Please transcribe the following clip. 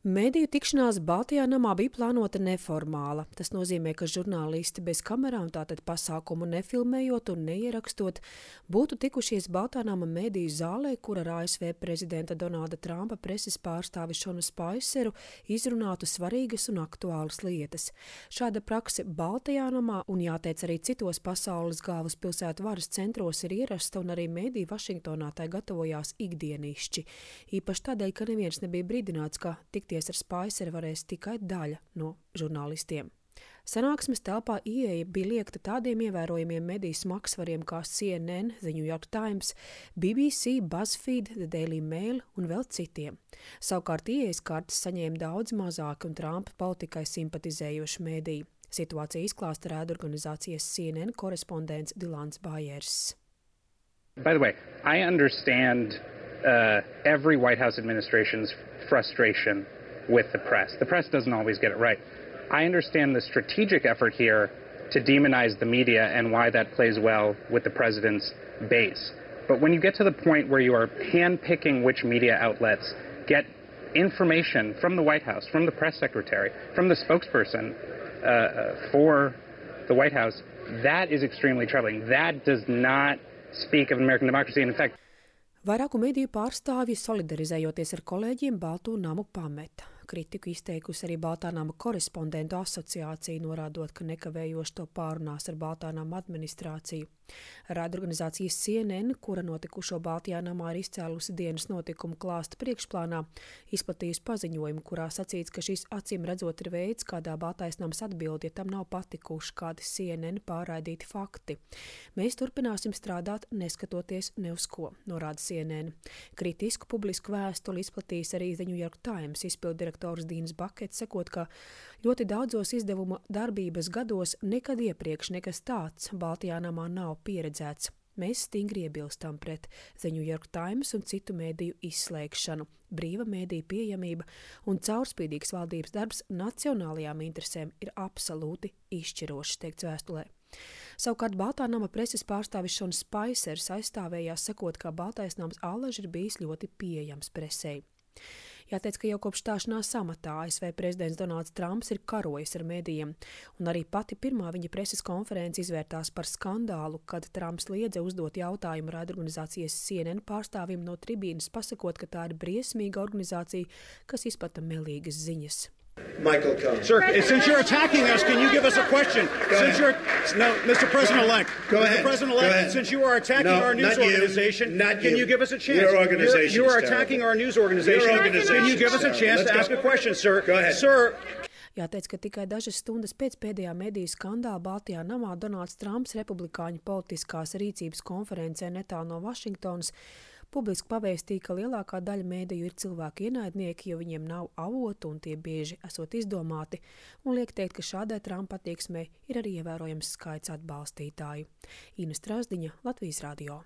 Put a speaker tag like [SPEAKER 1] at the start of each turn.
[SPEAKER 1] Mediju tikšanās Baltajā namā bija plānota neformāla. Tas nozīmē, ka žurnālisti bez kamerām, tātad pasākumu nefilmējot un neierakstot, būtu tikušies Baltā nama mediju zālē, kur ar ASV prezidenta Donalda Trumpa preses pārstāvi Šonu Spaiseru izrunātu svarīgas un aktuālas lietas. Šāda prakse Baltajā namā un jāteic arī citos pasaules galvaspilsētu varas centros ir ierasta un arī mediji Vašingtonā tai gatavojās ikdienišķi. Īpaši tādēļ, ka neviens nebija brīdināts, ka tikties ar Spaiseru varēs tikai daļa no žurnālistiem. Sanāksmes telpā ieeja bija liegta tādiem ievērojamiem mediju smagsvariem kā CNN, The New York Times, BBC, BuzzFeed, The Daily Mail un vēl citiem. Savukārt ieejas kartes saņēma daudz mazāk un Trumpa politikai simpatizējoši mediji. Situāciju izklāsta raidorganizācijas CNN korespondents Dilans Bajers.
[SPEAKER 2] By the way, I understand every White House administration's frustration with the press. The press doesn't always get it right. I understand the strategic effort here to demonize the media and why that plays well with the president's base. But when you get to the point where you are handpicking which media outlets get information from the White House, from the press secretary, from the spokesperson for the White House, that is extremely troubling. That does not speak of American democracy. And in fact,
[SPEAKER 1] vairāku mediju pārstāvji solidarizējoties ar kolēģiem Balto namu pameta. Kritiku izteikusi arī Baltā nama korespondentu asociācija, norādot, ka nekavējoši to pārunās ar Baltā nama administrāciju. Raidorganizācijas CNN, kura notikušo Baltajā namā ir izcēlusi dienas notikumu klāsta priekšplānā, izplatījusi paziņojumu, kurā sacīts, ka šis acīm redzot ir veids, kādā Baltais nams atbild, ja tam nav patikuši kādi CNN pārraidīti fakti. Mēs turpināsim strādāt, neskatoties ne uz ko, norāda CNN. Kritisku publisku vēstuli izplatījis arī The New York Times izpilddirektors Dīns Bakets, sakot, ka ļoti daudzos izdevuma darbības gados nekad iepriekš nekas tāds Baltajā namā nav pieredzēts. Mēs stingri iebilstam pret The New York Times un citu mediju izslēgšanu. Brīva mediju pieejamība un caurspīdīgs valdības darbs nacionālajām interesēm ir absolūti izšķirošs, teikts vēstulē. Savukārt Baltā nama preses pārstāvis Šons Spaisers aizstāvējās, sakot, ka Baltais nams allaž ir bijis ļoti pieejams presei. Jāteic, ka jau kopš stāšanās amatā ASV prezidents Donalds Trumps ir karojis ar medijiem, un arī pati pirmā viņa preses konference izvērtās par skandālu, kad Trumps liedza uzdot jautājumu raidorganizācijas CNN pārstāvim no tribīnes, pasakot, ka tā ir briesmīga organizācija, kas izplata melīgas ziņas.
[SPEAKER 3] Michael Cohen.
[SPEAKER 4] Sir, since you're attacking us, can you give us a question? No, Mr. President-elect.
[SPEAKER 3] Go ahead.
[SPEAKER 4] Mr. President-elect, since you are attacking our news organization, can you give us a chance?
[SPEAKER 3] Your organization
[SPEAKER 4] You are attacking our news organization. Can you give us a chance to ask a question, sir?
[SPEAKER 3] Go ahead.
[SPEAKER 4] Sir.
[SPEAKER 1] Jāteic, ka tikai dažas stundas pēc pēdējā mediju skandāla Baltajā namā Donalds Trumps republikāņu politiskās rīcības konferencē netālu no Vašingtonas publiski pavēstīja, ka lielākā daļa mediju ir cilvēku ienaidnieki, jo viņiem nav avotu un tie bieži esot izdomāti, un liek teikt, ka šādai Trumpa attieksmei ir arī ievērojams skaits atbalstītāju. Ina Strasdiņa, Latvijas radio.